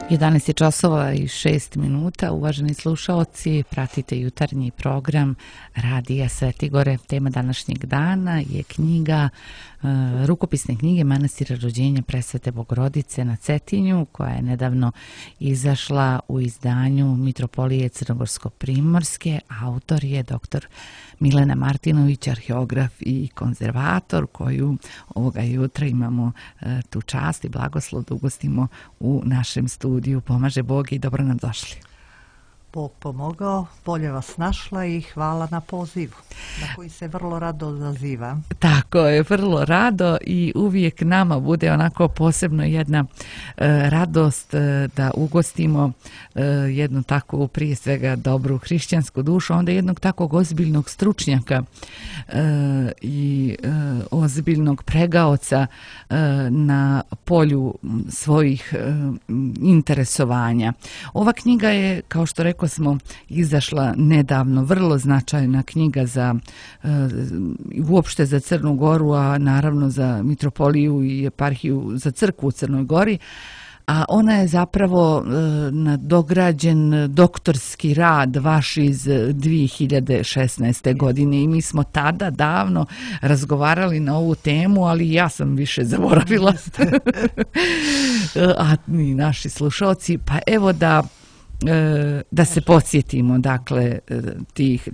11 je časova i 6 minuta. Uvaženi slušaoci, pratite jutarnji program Radija Svetigore. Tema današnjeg dana je knjiga, rukopisne knjige Manastira rođenja Presvete Bogorodice na Cetinju, koja je nedavno izašla u izdanju Mitropolije Crnogorsko-Primorske. Autor je dr. Milena Martinović, arheograf i konzervator, koju ovoga jutra imamo tu čast i blagoslov da ugostimo u našem studiju. Pomaže Bog i dobro nam došli. Bog pomogao, bolje vas našla i hvala na pozivu, na koji se vrlo rado odazivam. Tako je, vrlo rado i uvijek nama bude onako posebno jedna radost da ugostimo jednu takvu, prije svega dobru hrišćansku dušu, onda jednog takvog ozbiljnog stručnjaka i ozbiljnog pregaoca na polju svojih interesovanja. Ova knjiga je, kao što rekao smo, izašla nedavno, vrlo značajna knjiga za uopšte za Crnu Goru, a naravno za mitropoliju i eparhiju, za crkvu u Crnoj Gori, a ona je zapravo nadograđen doktorski rad vaš iz 2016. godine i mi smo tada davno razgovarali na ovu temu, ali ja sam više zaboravila, a i naši slušalci, pa evo da se podsjetimo, dakle,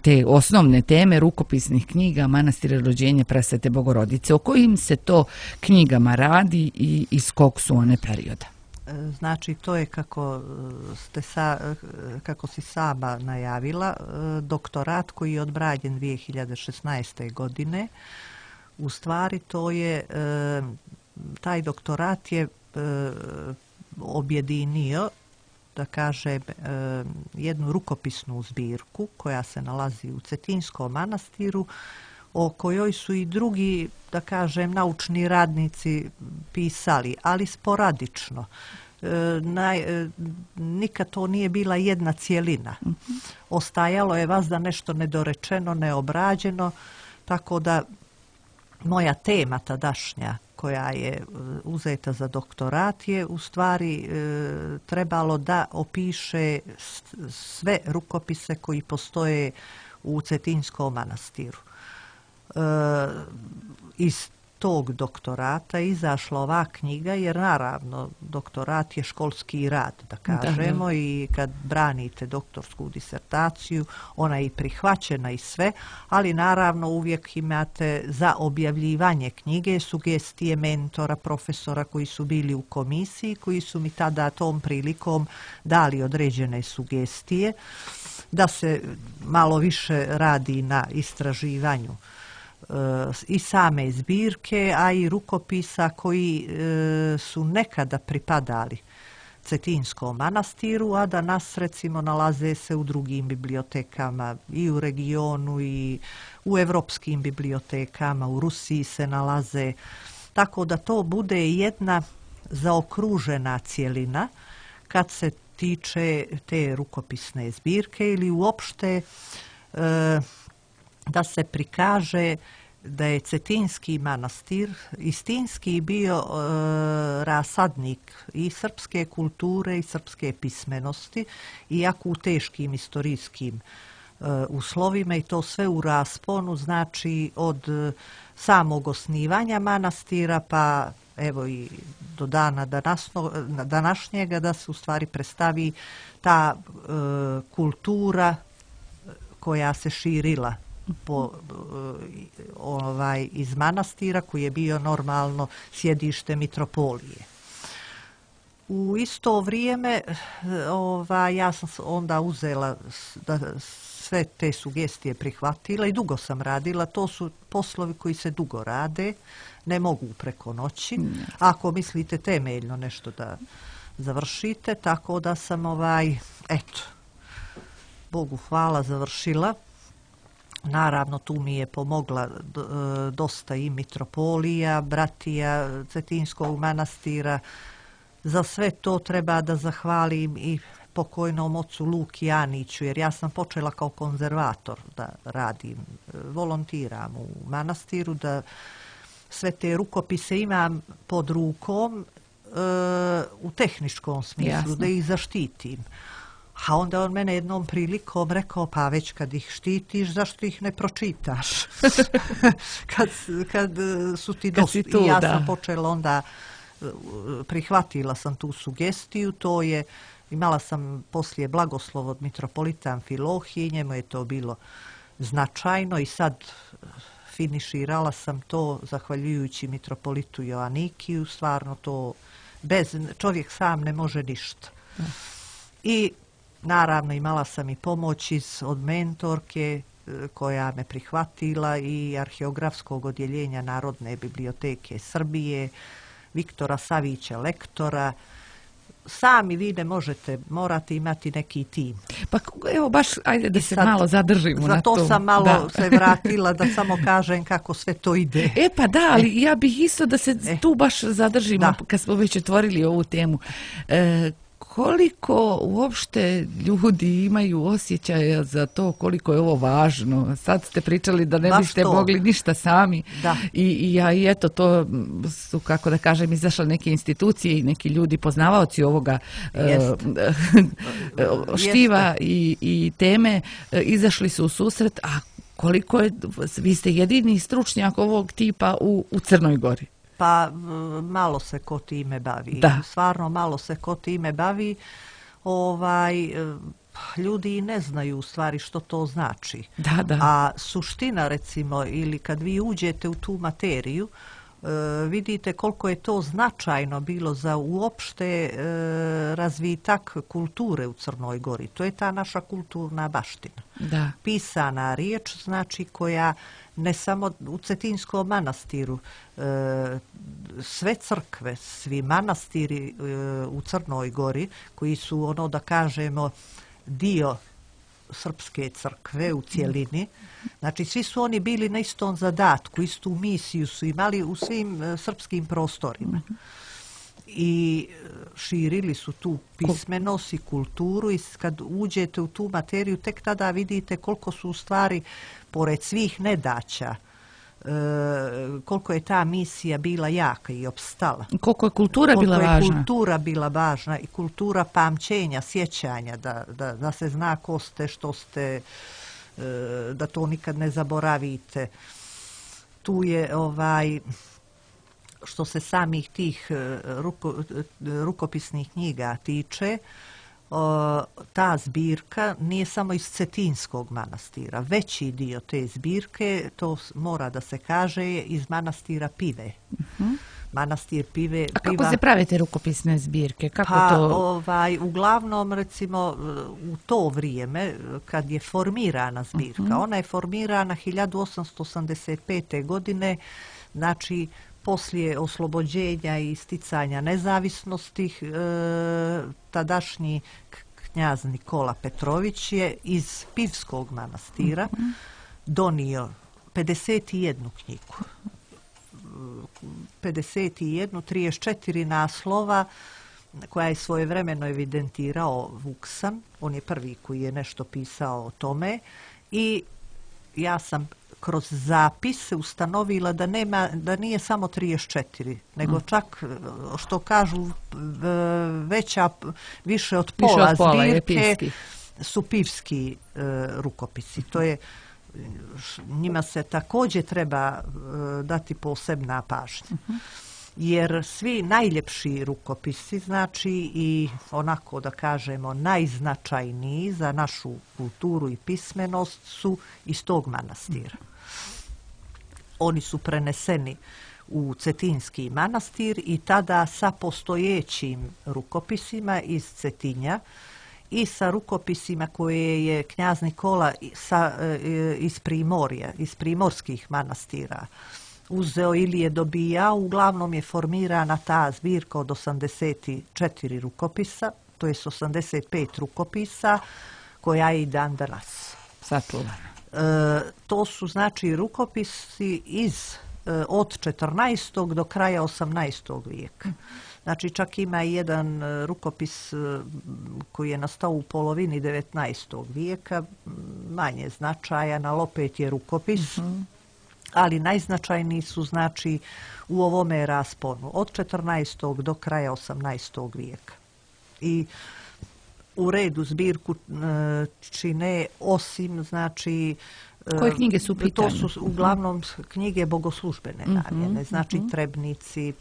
te osnovne teme rukopisnih knjiga Manastira rođenja Presvete Bogorodice. O kojim se to knjigama radi i iz kog su one perioda? Znači, to je kako si sama najavila, doktorat koji je odbranjen 2016. godine. U stvari, taj doktorat je objedinio, da kažem, jednu rukopisnu zbirku koja se nalazi u Cetinskom manastiru, o kojoj su i drugi, da kažem, naučni radnici pisali, ali sporadično. Nikad to nije bila jedna cjelina. Ostajalo je vazda nešto nedorečeno, neobrađeno, tako da moja tema tadašnja koja je uzeta za doktorat je u stvari trebalo da opiše sve rukopise koji postoje u Cetinskom manastiru. Iz tog doktorata izašla ova knjiga, jer naravno doktorat je školski rad, da kažemo, i kad branite doktorsku disertaciju, ona je i prihvaćena i sve, ali naravno uvijek imate za objavljivanje knjige sugestije mentora, profesora koji su bili u komisiji, koji su mi tada tom prilikom dali određene sugestije da se malo više radi na istraživanju i same zbirke, a i rukopisa koji su nekada pripadali Cetinskom manastiru, a danas recimo nalaze se u drugim bibliotekama i u regionu i u evropskim bibliotekama, u Rusiji se nalaze, tako da to bude jedna zaokružena cjelina kad se tiče te rukopisne zbirke ili uopšte da se prikaže da je Cetinski manastir istinski bio rasadnik i srpske kulture i srpske pismenosti, iako u teškim istorijskim uslovima, i to sve u rasponu, znači od samog osnivanja manastira pa evo i do dana današnjega, da se u stvari predstavi ta kultura koja se širila iz manastira, koji je bio normalno sjedište mitropolije. U isto vrijeme ja sam onda uzela sve te sugestije, prihvatila i dugo sam radila. To su poslovi koji se dugo rade, ne mogu preko noći. Ako mislite temeljno nešto da završite, tako da sam Bogu hvala, završila. Naravno, tu mi je pomogla dosta i mitropolija, bratija Cetinskog manastira. Za sve to treba da zahvalim i pokojnom ocu Luki Aniću, jer ja sam počela kao konzervator da radim, volontiram u manastiru, da sve te rukopise imam pod rukom u tehničkom smislu, Jasno. da ih zaštitim. A onda on mene jednom prilikom rekao, pa već kad ih štitiš, zašto ih ne pročitaš? kad su ti dosta. I ja sam počela onda, prihvatila sam tu sugestiju, to je, imala sam poslije blagoslov od mitropolita Amfilohije, njemu je to bilo značajno i sad finiširala sam to zahvaljujući mitropolitu Joanikiju, stvarno to, čovjek sam ne može ništa. I naravno imala sam i pomoć od mentorke koja me prihvatila i arheografskog odjeljenja Narodne biblioteke Srbije, Viktora Savića, lektora. Sami vi ne možete, morate imati neki tim. Pa evo baš, ajde da se malo zadržimo na to. Zato sam malo se vratila da samo kažem kako sve to ide. Pa da, ali ja bih isto da se tu baš zadržimo kad smo već otvorili ovu temu. Koliko uopšte ljudi imaju osjećaja za to koliko je ovo važno? Sad ste pričali da ne biste mogli ništa sami. I eto, to su, kako da kažem, izašle neke institucije i neki ljudi poznavaoci ovoga štiva i teme, izašli su u susret, a koliko je, vi ste jedini stručnjak ovog tipa u Crnoj Gori. Pa malo se ko time bavi. Stvarno malo se ko time bavi. Ljudi ne znaju u stvari što to znači. A suština, recimo, ili kad vi uđete u tu materiju, vidite koliko je to značajno bilo za uopšte razvitak kulture u Crnoj Gori. To je ta naša kulturna baština. Pisana riječ, znači, koja ne samo u Cetinskom manastiru, sve crkve, svi manastiri u Crnoj Gori, koji su, ono da kažemo, dio srpske crkve u cjelini, znači svi su oni bili na istom zadatku, istu misiju su imali u svim srpskim prostorima. I širili su tu pismenost i kulturu i kad uđete u tu materiju tek tada vidite koliko su u stvari, pored svih nedaća, koliko je ta misija bila jaka i opstala. Koliko je kultura bila važna. Koliko je kultura bila važna i kultura pamćenja, sjećanja, da se zna ko ste, što ste, da to nikad ne zaboravite. Tu je što se samih tih rukopisnih knjiga tiče, ta zbirka nije samo iz Cetinskog manastira. Veći dio te zbirke, to mora da se kaže, je iz manastira Pive. Manastir Pive. A kako se prave te rukopisne zbirke? Uglavnom, recimo, u to vrijeme, kad je formirana zbirka, ona je formirana 1885. godine, znači poslije oslobođenja i isticanja nezavisnosti, tadašnji knjaz Nikola Petrović je iz Pivskog manastira donio 51 knjigu. 51, 34 naslova koja je svojevremeno evidentirao Vuksan. On je prvi koji je nešto pisao o tome i ja sam kroz zapis ustanovila da nije samo 34, nego čak, što kažu, više od pola zbirke su pivski rukopisi. To je, njima se također treba dati posebna pažnja. Jer svi najljepši rukopisi, znači i onako da kažemo najznačajniji za našu kulturu i pismenost su iz tog manastira. Oni su preneseni u Cetinski manastir i tada sa postojećim rukopisima iz Cetinja i sa rukopisima koje je knjaz Nikola iz Primorja, iz primorskih manastira uzeo ili je dobijao. Uglavnom je formirana ta zbirka od 84 rukopisa, to je 85 rukopisa koja je i dan danas sačuvana. To su znači rukopisi od 14. do kraja 18. vijeka. Znači čak ima i jedan rukopis koji je nastao u polovini 19. vijeka, manje značajan, ali opet je rukopis. ali najznačajniji su znači u ovome rasponu od 14. do kraja 18. vijeka. I u redu zbirku čine osim znači koje knjige su u pitanju? To su uglavnom knjige bogoslužbene namjene, znači trebnici,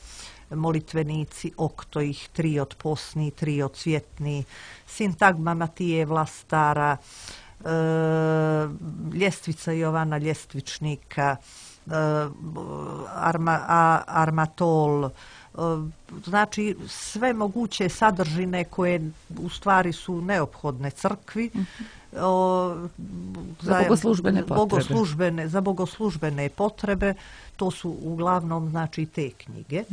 molitvenici, oktojih, triod posni, triod cvjetni, sintagma Matije Vlastara, ljestvica Jovana Ljestvičnika, armatol, znači sve moguće sadržine koje u stvari su neophodne crkvi za bogoslužbene potrebe. To su uglavnom znači te knjige.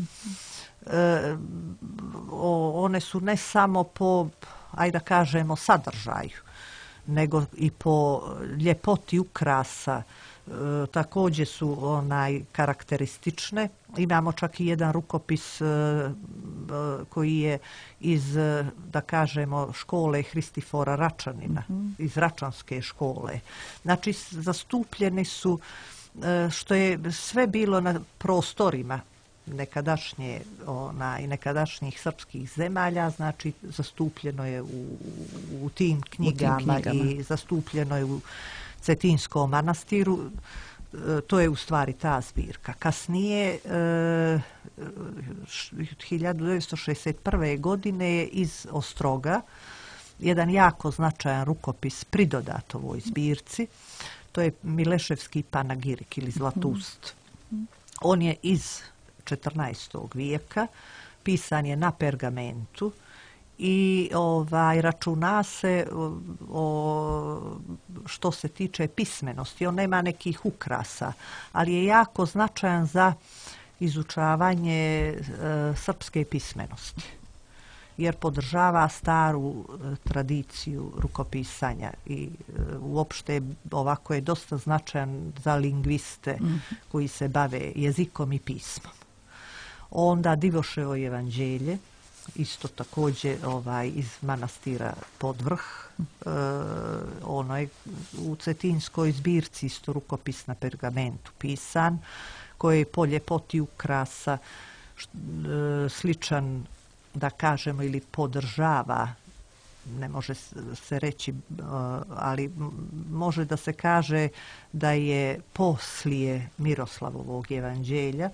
One su ne samo po, ajde da kažemo, sadržaju, nego i po ljepoti ukrasa. Također su karakteristične. Imamo čak i jedan rukopis koji je iz, da kažemo, škole Hristifora Račanina, iz Račanske škole. Znači, zastupljeni su, što je sve bilo na prostorima nekadašnjih srpskih zemalja, znači zastupljeno je u tim knjigama i zastupljeno je u Cetinskom manastiru. To je u stvari ta zbirka. Kasnije, 1961. godine je iz Ostroga jedan jako značajan rukopis pridodat ovoj zbirci. To je Mileševski panagirik ili Zlatust. On je iz 14. vijeka, pisan je na pergamentu i računa se što se tiče pismenosti. On nema nekih ukrasa, ali je jako značajan za izučavanje srpske pismenosti, jer podržava staru tradiciju rukopisanja i uopšte ovako je dosta značajan za lingviste koji se bave jezikom i pismom. Onda Divoševo evanđelje, isto također iz manastira Podvrh. Ono je u Cetinskoj zbirci isto rukopis na pergamentu pisan, koji je po ljepoti ukrasa sličan, da kažemo, ili podržava, ne može se reći, ali može da se kaže da je poslije Miroslavovog evanđelja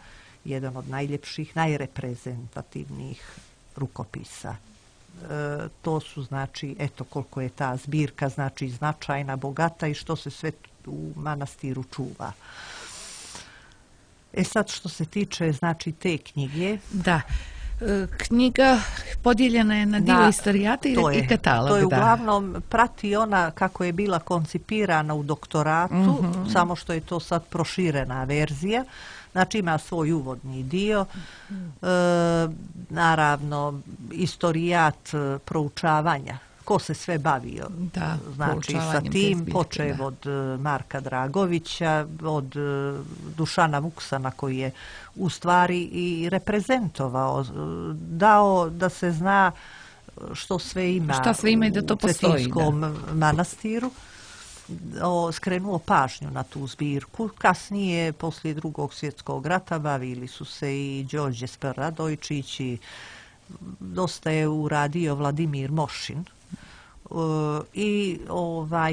jedan od najljepših, najreprezentativnijih rukopisa. To su, znači, eto koliko je ta zbirka znači značajna, bogata i što se sve u manastiru čuva. Sad što se tiče znači te knjige. Da. Knjiga podijeljena je na dio istorijata i katalog. To je uglavnom prati ona kako je bila koncipirana u doktoratu, samo što je to sad proširena verzija. Znači ima svoj uvodni dio, naravno istorijat proučavanja, ko se sve bavio, znači sa tim, počev od Marka Dragovića, od Dušana Vuksana koji je u stvari i reprezentovao, dao da se zna što sve ima u Cetinskom manastiru. Skrenuo pažnju na tu zbirku. Kasnije, poslije Drugog svjetskog rata, bavili su se i Đorđe Radojičić i dosta je uradio Vladimir Mošin. I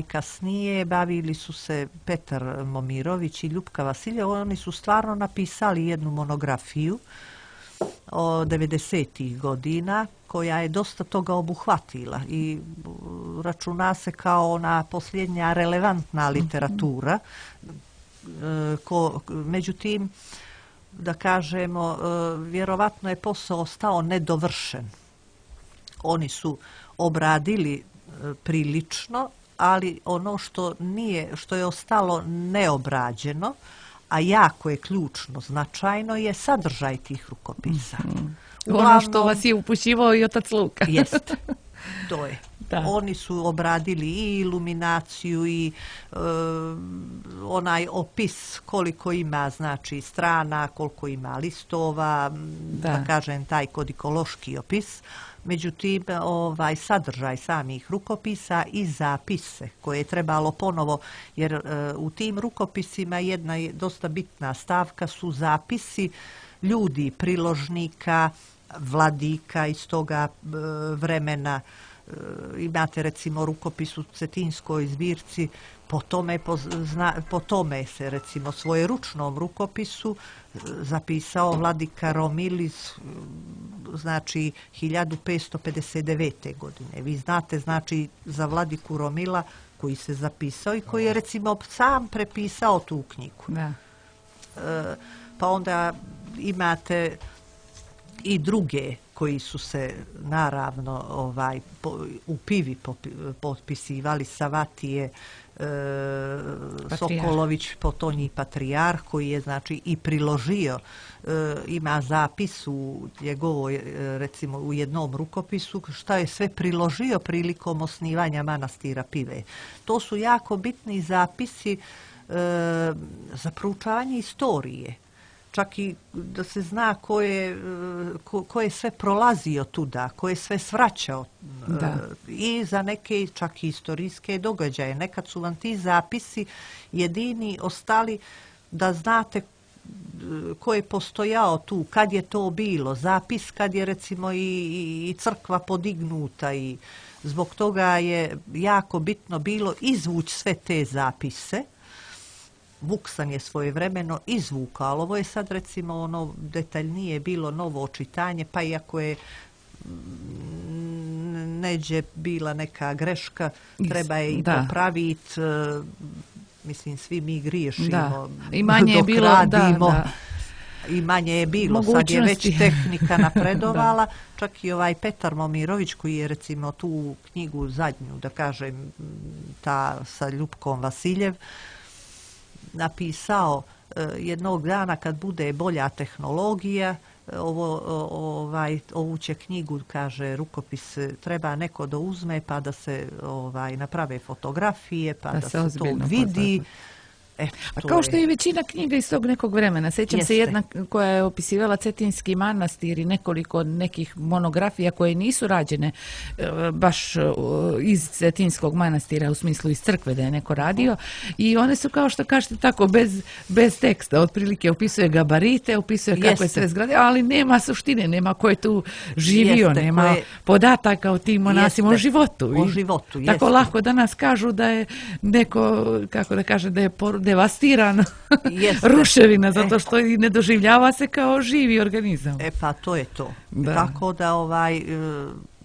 kasnije bavili su se Petar Momirović i Ljupka Vasiljev. Oni su stvarno napisali jednu monografiju od 90. godina koja je dosta toga obuhvatila i računa se kao ona posljednja relevantna literatura. Međutim, da kažemo, vjerovatno je posao ostao nedovršen. Oni su obradili prilično, ali ono što je ostalo neobrađeno, a jako je ključno, značajno, je sadržaj tih rukopisa. Ono što vas je upućivao i otac Luka. Jest, to je. Oni su obradili i iluminaciju i onaj opis koliko ima znači strana, koliko ima listova, da kažem taj kodikološki opis. Međutim, sadržaj samih rukopisa i zapise koje je trebalo ponovo, jer u tim rukopisima jedna je dosta bitna stavka su zapisi ljudi, priložnika, vladika iz toga vremena. Imate recimo rukopis u Cetinskoj zbirci, po tome se recimo svojeručnom rukopisu zapisao vladika Romilis, znači 1559. godine. Vi znate znači za vladiku Romila koji se zapisao i koji je recimo sam prepisao tu knjigu. Pa onda imate i druge koji su se naravno u Pivi potpisivali, Savatije, Sokolović, potonji patrijarh koji je znači i priložio, ima zapis u njegovoj recimo u jednom rukopisu šta je sve priložio prilikom osnivanja manastira Pive. To su jako bitni zapisi za proučavanje istorije. Čak i da se zna ko je sve prolazio tuda, ko je sve svraćao i za neke čak i istorijske događaje. Nekad su vam ti zapisi jedini ostali da znate ko je postojao tu, kad je to bilo, zapis kad je recimo i crkva podignuta i zbog toga je jako bitno bilo izvući sve te zapise. Vuksan je svojevremeno izvukao, ali ovo je sad recimo ono detaljnije bilo novo čitanje, pa iako je neđe bila neka greška, treba je i popraviti, mislim svi mi griješimo, i manje dok je bilo, radimo. I manje je bilo, sad je već tehnika napredovala, čak i Petar Momirović koji je recimo tu knjigu zadnju, da kažem, ta sa Ljupkom Vasiljev, napisao jednog dana kad bude bolja tehnologija, ovu će knjigu, kaže, rukopis treba neko da uzme pa da se naprave fotografije, pa da se to vidi. Kao što je i većina knjiga iz tog nekog vremena. Sjećam se jedna koja je opisivala Cetinski manastir i nekoliko nekih monografija koje nisu rađene baš iz Cetinskog manastira, u smislu iz crkve da je neko radio. I one su kao što kažete tako bez teksta. Otprilike opisuje gabarite, opisuje kako je sve zgradio, ali nema suštine, nema ko je tu živio, nema podataka o tim monasima, o životu. O životu, tako lako danas kažu da je neko, kako da kaže, da je devastirana ruševina, zato što i ne doživljava se kao živi organizam. Pa to je to. Tako da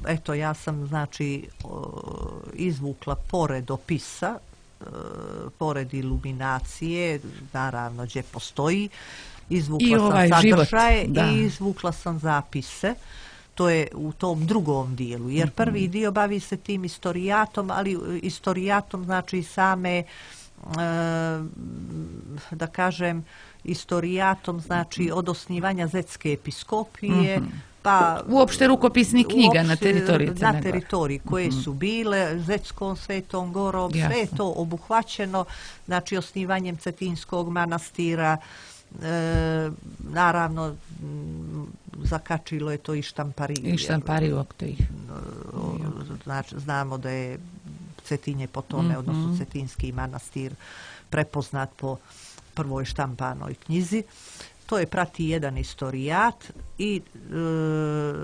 eto, ja sam znači izvukla pored opisa, pored iluminacije, naravno gdje postoji, izvukla sam sadržaje i izvukla sam zapise. To je u tom drugom dijelu, jer prvi dio bavi se tim istorijatom, ali istorijatom znači same, da kažem, istorijatom znači od osnivanja Zetske episkopije, pa uopšte rukopisnih knjiga na teritoriji Crne Gore. Na teritoriji koje su bile, Zetskom, Svetom Gorom, sve je to obuhvaćeno, znači osnivanjem Cetinskog manastira, naravno zakačilo je to i štampariju. I štampariju oko ih. Znači, znamo da je Cetinje po tome, odnosno Cetinski manastir, prepoznat po prvoj štampanoj knjizi. To je prati jedan istorijat i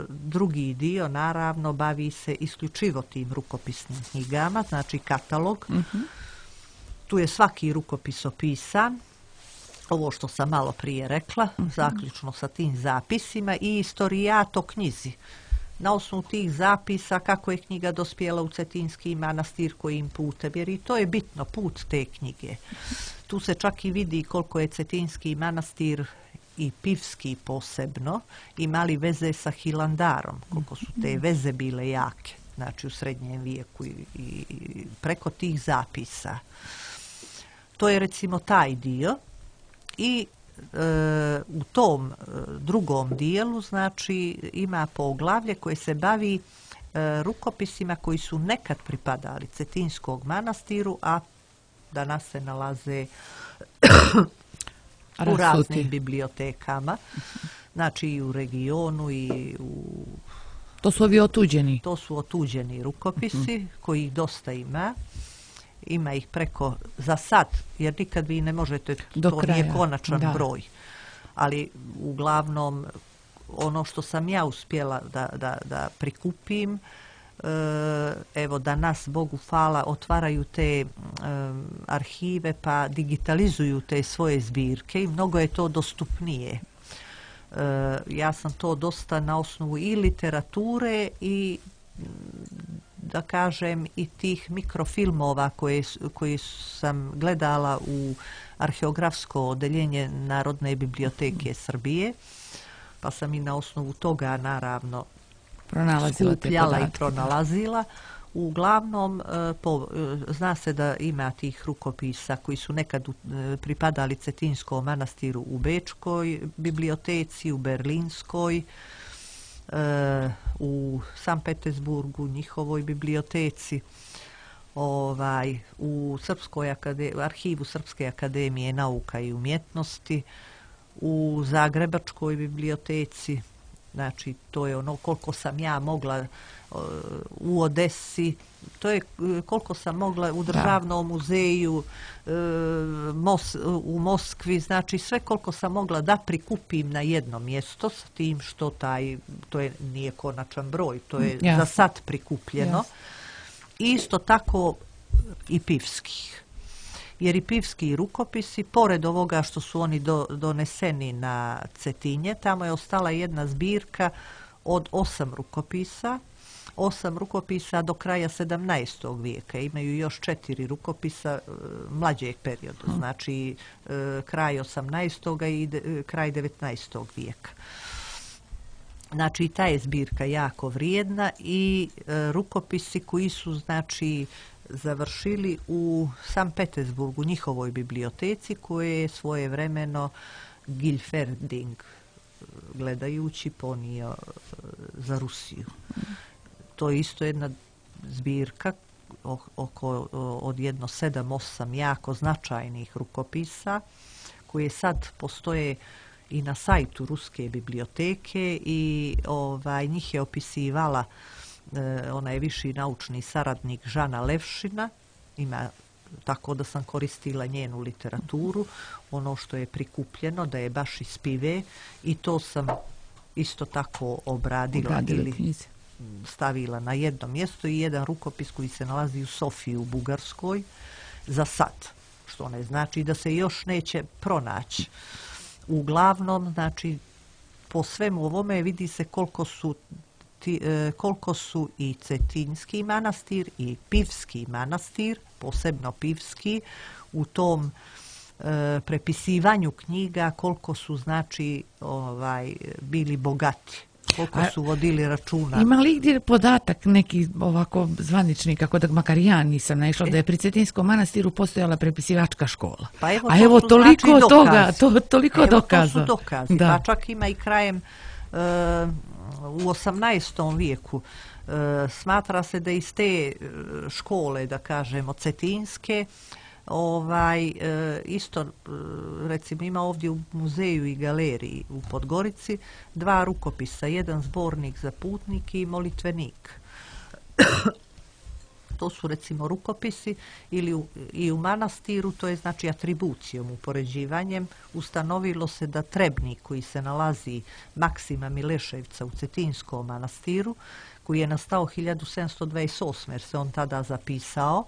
drugi dio naravno bavi se isključivo tim rukopisnim knjigama, znači katalog. Tu je svaki rukopis opisan, ovo što sam malo prije rekla, zaključno sa tim zapisima i istorijat o knjizi. Na osnovu tih zapisa kako je knjiga dospjela u Cetinski manastir, kojim putem, jer i to je bitno, put te knjige. Tu se čak i vidi koliko je Cetinski manastir i Pivski posebno imali veze sa Hilandarom, koliko su te veze bile jake, znači u srednjem vijeku i preko tih zapisa. To je recimo taj dio i u tom drugom dijelu znači ima poglavlje koje se bavi rukopisima koji su nekad pripadali Cetinskog manastiru, a danas se nalaze u raznim bibliotekama, znači i u regionu i u... To su ovi otuđeni? To su otuđeni rukopisi, kojih dosta ima. Ima ih preko, za sad, jer nikad vi ne možete, to nije konačan broj. Ali uglavnom, ono što sam ja uspjela da prikupim, evo danas, Bogu hvala, otvaraju te arhive pa digitalizuju te svoje zbirke i mnogo je to dostupnije. Ja sam to dosta na osnovu i literature i da kažem i tih mikrofilmova koje sam gledala u arheografsko odeljenje Narodne biblioteke Srbije, pa sam i na osnovu toga naravno skupljala i pronalazila. Uglavnom, zna se da ima tih rukopisa koji su nekad pripadali Cetinskom manastiru u Bečkoj biblioteci, u Berlinskoj, u San Petersburgu, njihovoj biblioteci, u arhivu Srpske akademije nauka i umjetnosti, u Zagrebačkoj biblioteci, znači to je ono koliko sam ja mogla, u Odesi, to je koliko sam mogla u Državnom muzeju, u Moskvi, znači sve koliko sam mogla da prikupim na jedno mjesto, s tim što nije konačan broj, to je za sad prikupljeno. Isto tako i pivskih. Jer i pivski rukopisi, pored ovoga što su oni doneseni na Cetinje, tamo je ostala jedna zbirka od 8 rukopisa. 8 rukopisa do kraja 17. vijeka. Imaju još 4 rukopisa mlađeg perioda, znači kraj 18. i kraj 19. vijeka. Znači ta je zbirka jako vrijedna i rukopisi koji su znači završili u San Petersburgu, njihovoj biblioteci, koje je svojevremeno Gilferding gledajući ponio za Rusiju. To je isto jedna zbirka od jedno 7-8 jako značajnih rukopisa koje sad postoje i na sajtu Ruske biblioteke i njih je opisivala, ona je viši naučni saradnik Žana Levšina, ima, tako da sam koristila njenu literaturu, ono što je prikupljeno, da je baš iz Pive, i to sam isto tako obradila ili stavila na jedno mjesto, i jedan rukopis koji se nalazi u Sofiji u Bugarskoj za sad, što ne znači da se još neće pronaći. Uglavnom, znači, po svemu ovome vidi se koliko su i Cetinski manastir i Pivski manastir, posebno Pivski, u tom prepisivanju knjiga, koliko su znači bili bogati, koliko su vodili računa. Ima li gdje podatak neki ovako zvanični, kako da makar ja nisam naišla, da je pri Cetinskom manastiru postojala prepisivačka škola? Pa evo, a evo toliko znači toga, toliko dokaza. To su dokazi, pa čak ima i krajem u 18. vijeku. Smatra se da iz te škole, da kažemo, cetinske, isto, recimo, ima ovdje u muzeju i galeriji u Podgorici 2 rukopisa, jedan zbornik za putnike i molitvenik. To su, recimo, rukopisi, ili i u manastiru, to je znači atribucijom, upoređivanjem, ustanovilo se da Trebnik, koji se nalazi Maksima Mileševca u Cetinskom manastiru, koji je nastao 1728. jer se on tada zapisao,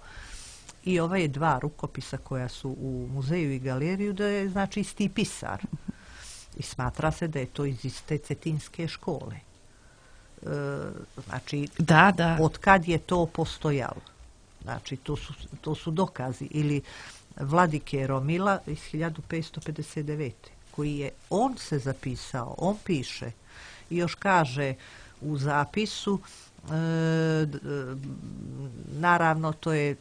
i ove 2 rukopisa koja su u muzeju i galeriju, da je znači isti pisar. I smatra se da je to iz iste cetinske škole. Znači, od kad je to postojalo. Znači, to su dokazi. Ili Vladike Romila iz 1559. koji je, on se zapisao, on piše i još kaže u zapisu, naravno to je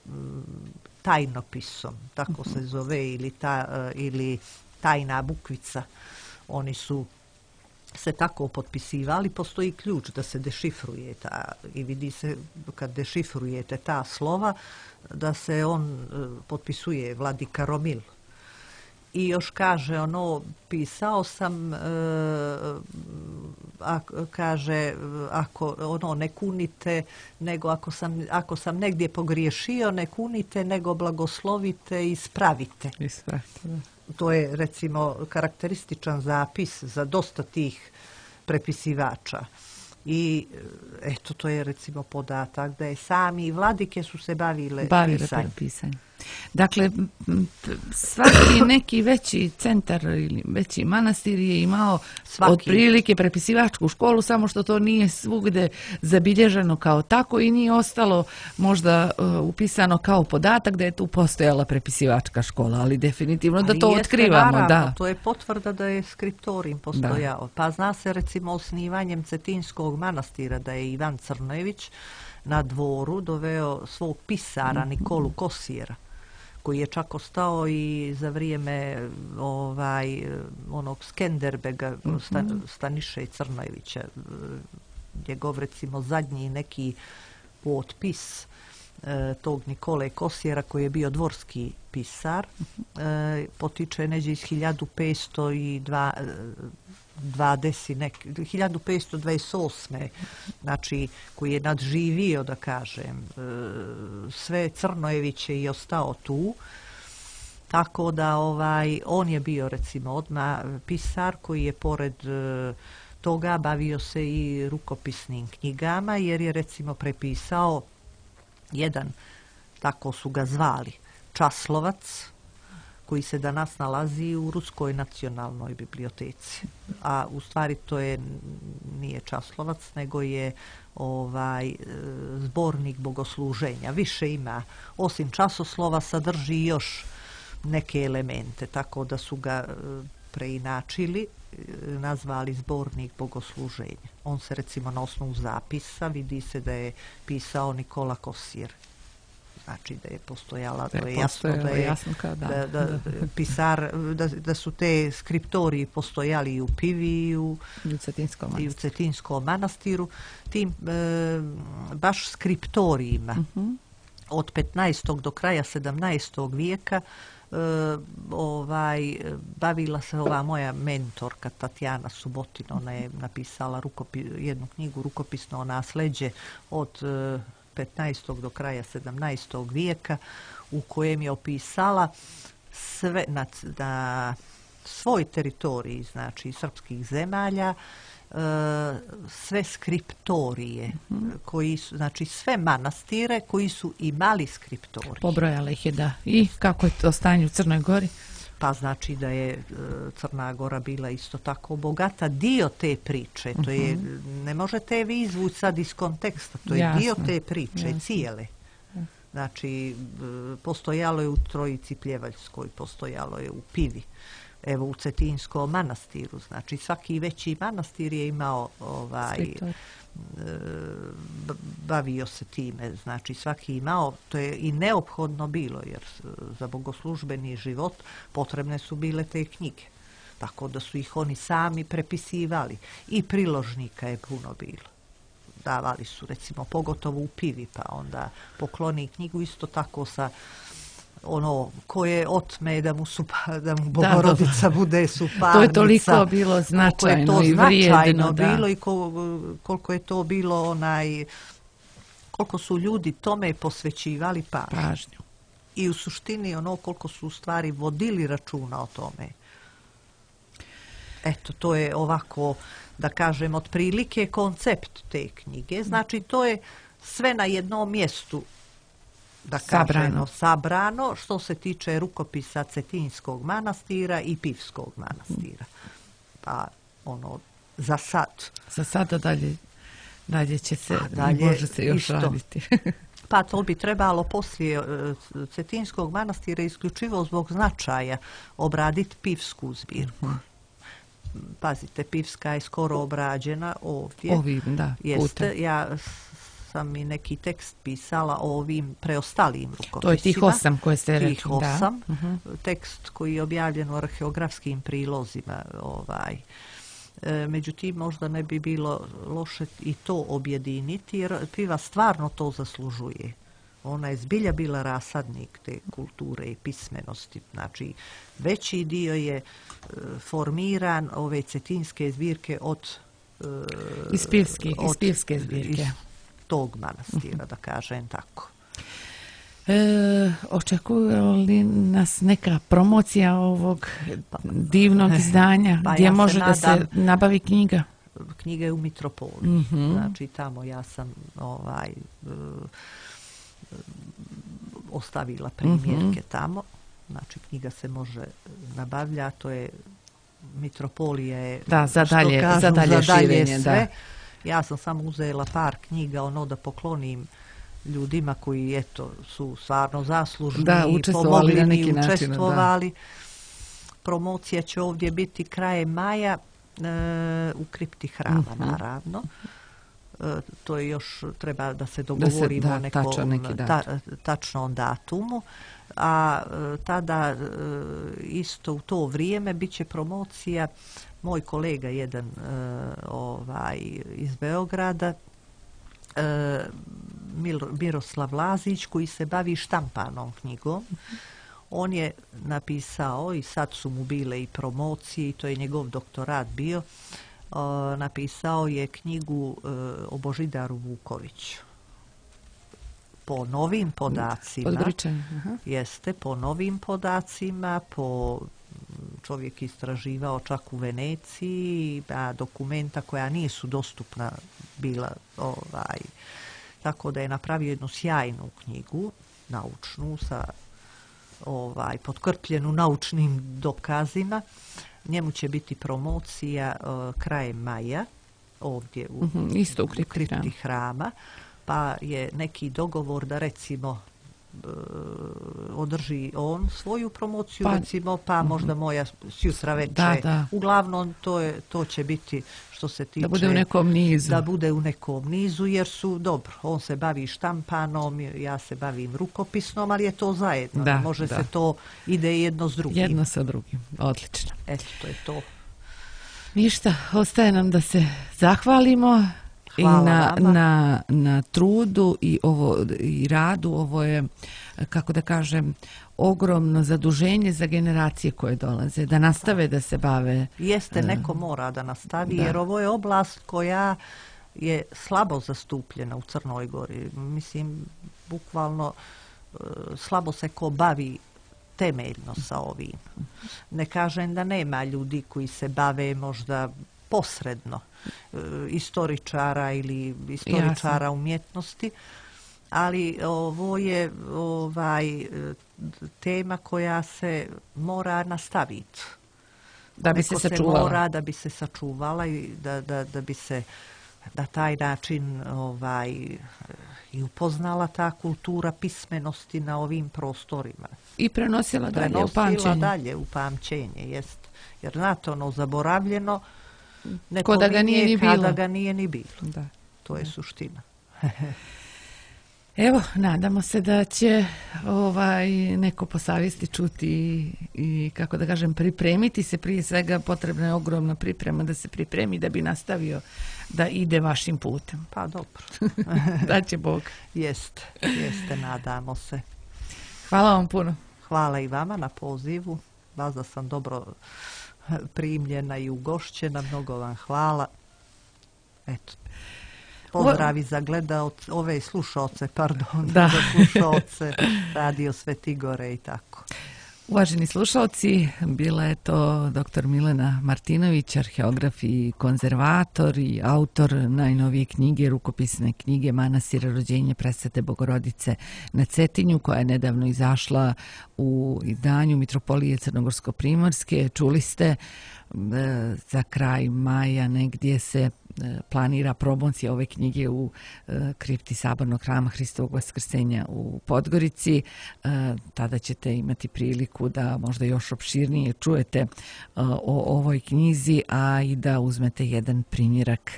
tajnopisom, tako se zove, ili tajna bukvica. Oni su se tako potpisivali, postoji ključ da se dešifruje i vidi se kad dešifrujete ta slova da se on potpisuje Vladika Romil. I još kaže pisao sam, kaže, ako ne kunite, nego ako sam negdje pogriješio, ne kunite, nego blagoslovite i ispravite. To je recimo karakterističan zapis za dosta tih prepisivača. I eto, to je recimo podatak da je sami vladike su se bavile pisanjem. Dakle, svaki neki veći centar ili veći manastir je imao otprilike prepisivačku školu, samo što to nije svugde zabilježeno kao tako i nije ostalo možda upisano kao podatak da je tu postojala prepisivačka škola, ali definitivno da to otkrivamo. Naravno, to je potvrda da je skriptorijum postojao. Pa zna se recimo osnivanjem Cetinskog manastira da je Ivan Crnojević na dvoru doveo svog pisara Nikolu Kosijera, koji je čak ostao i za vrijeme onog Skenderbega, Staniše Crnojevića, njegov recimo zadnji neki potpis tog Nikole Kosijera koji je bio dvorski pisar, potiče neđe iz 1528. Znači, koji je nadživio, da kažem, sve Crnojeviće i ostao tu. Tako da on je bio recimo odmah pisar koji je pored toga bavio se i rukopisnim knjigama, jer je recimo prepisao jedan, tako su ga zvali, časlovac, koji se danas nalazi u Ruskoj nacionalnoj biblioteci. A u stvari to nije časlovac, nego je zbornik bogosluženja. Više ima, osim časoslova, sadrži još neke elemente, tako da su ga preinačili, nazvali zbornik bogosluženja. On se recimo na osnovu zapisa vidi se da je pisao Nikola Kosijer. Znači da je postojala, to je jasno da su te skriptoriji postojali i u Pivi i u Cetinskom manastiru. Tim baš skriptorijima od 15. do kraja 17. vijeka bavila se ova moja mentorka Tatjana Subotin. Ona je napisala jednu knjigu Rukopisno nasleđe od 15. do kraja 17. vijeka, u kojem je opisala sve na svoj teritoriji, znači srpskih zemalja, sve skriptorije, koji su, znači sve manastire koji su imali skriptorije. Pobrojala ih je, da. I kako je to stanje u Crnoj Gori? Pa znači da je Crna Gora bila isto tako bogata. Dio te priče, to je, ne možete vi izvući sad iz konteksta, to je dio te priče, cijele. Znači, postojalo je u Trojici Pljevaljskoj, postojalo je u Pivi, evo u Cetinskom manastiru, znači svaki veći manastir je imao bavio se time, znači svaki imao, to je i neophodno bilo, jer za bogoslužbeni život potrebne su bile te knjige, tako da su ih oni sami prepisivali i priložnika je puno bilo. Davali su recimo pogotovo u Pivi, pa onda pokloni knjigu isto tako sa ko je otme da mu Bogorodica bude suparnica. To je toliko bilo značajno i vrijedno. Bilo i koliko je to bilo koliko su ljudi tome posvećivali pažnju. I u suštini koliko su u stvari vodili računa o tome. Eto, to je ovako, da kažem, otprilike koncept te knjige. Znači, to je sve na jednom mjestu, da kažemo, sabrano što se tiče rukopisa Cetinskog manastira i Pivskog manastira. Pa, za sad. Za sada dalje će se, može se još raditi. Pa to bi trebalo poslije Cetinskog manastira isključivo zbog značaja obraditi Pivsku zbirku. Pazite, Pivska je skoro obrađena ovdje. Jeste, ja sam i neki tekst pisala o ovim preostalim rukopisima. To je tih 8 koje ste rekli. Tih 8. Tekst koji je objavljen u arheografskim prilozima Međutim, možda ne bi bilo loše i to objediniti, jer piva stvarno to zaslužuje. Ona je zbilja bila rasadnik te kulture i pismenosti. Znači, veći dio je formiran ove cetinske zbirke iz Pivske zbirke. Iz tog manastira, da kažem tako. Očekuje li nas neka promocija ovog divnog izdanja gdje može da se nabavi knjiga? Knjiga je u Mitropoliji. Znači, tamo ja sam ostavila primjerke tamo. Znači, knjiga se može nabavljati, to je Mitropolija je za dalje širenje, sve. Da. Ja sam samo uzela par knjiga, da poklonim ljudima koji su stvarno zaslužni i pomogli mi, učestvovali. Promocija će ovdje biti krajem maja u kripti hrama, naravno. To je još, treba da se dogovorimo o nekom tačnom datumu. A tada isto u to vrijeme bit će promocija, moj kolega jedan iz Beograda, Miroslav Lazić, koji se bavi štampanom knjigom. On je napisao, i sad su mu bile i promocije, i to je njegov doktorat bio, napisao je knjigu o Božidaru Vukoviću. Po novim podacima, po novim podacima, čovjek istraživao čak u Veneciji, a dokumenta koja nisu dostupna bila, tako da je napravio jednu sjajnu knjigu, naučnu, potkrpljenu naučnim dokazima. Njemu će biti promocija krajem maja, ovdje u kripti hrama. Pa je neki dogovor da recimo održi on svoju promociju, recimo, pa možda moja sjutra večer. Uglavnom to će biti, što se tiče, da bude u nekom nizu. Da bude u nekom nizu, jer su dobro, on se bavi štampanom, ja se bavim rukopisnom, ali je to zajedno. Može se to, ide jedno s drugim. Jedno sa drugim, odlično. Eto, to je to. Ništa, ostaje nam da se zahvalimo. I na trudu i radu. Ovo je, kako da kažem, ogromno zaduženje za generacije koje dolaze, da nastave da se bave. Jeste, neko mora da nastavi, jer ovo je oblast koja je slabo zastupljena u Crnoj Gori. Mislim, bukvalno slabo se ko bavi temeljno sa ovim. Ne kažem da nema ljudi koji se bave možda posredno, istoričara ili istoričara umjetnosti, ali ovo je tema koja se mora nastaviti. Da bi se sačuvala. Da bi se sačuvala i da bi se na taj način i upoznala ta kultura pismenosti na ovim prostorima. I prenosila dalje u pamćenje. Jest. Jer znate, zaboravljeno, kada ga nije ni bilo. To je suština. Evo, nadamo se da će neko po savjesti čuti i, kako da kažem, pripremiti se. Prije svega potrebna je ogromna priprema da se pripremi da bi nastavio da ide vašim putem. Pa dobro. Da će Bog. Jeste, nadamo se. Hvala vam puno. Hvala i vama na pozivu. Vas da sam dobro primljena i ugošćena, mnogo vam hvala. Eto, pozdravi za ove slušaoce, za slušaoce Radio Svetigore i tako. Uvaženi slušalci, bila je to dr. Milena Martinović, arheograf i konzervator i autor najnovije knjige, rukopisne knjige Manastira rođenje Presvete Bogorodice na Cetinju, koja je nedavno izašla u izdanju Mitropolije Crnogorsko-Primorske. Čuli ste, za kraj maja negdje se planira promocija ove knjige u kripti Sabornog hrama Hristovog Vaskrsenja u Podgorici. Tada ćete imati priliku da možda još opširnije čujete o ovoj knjizi, a i da uzmete jedan primjerak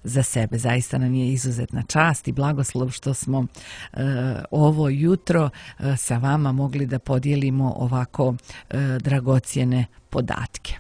za sebe. Zaista nam je izuzetna čast i blagoslov što smo ovo jutro sa vama mogli da podijelimo ovako dragocjene podatke.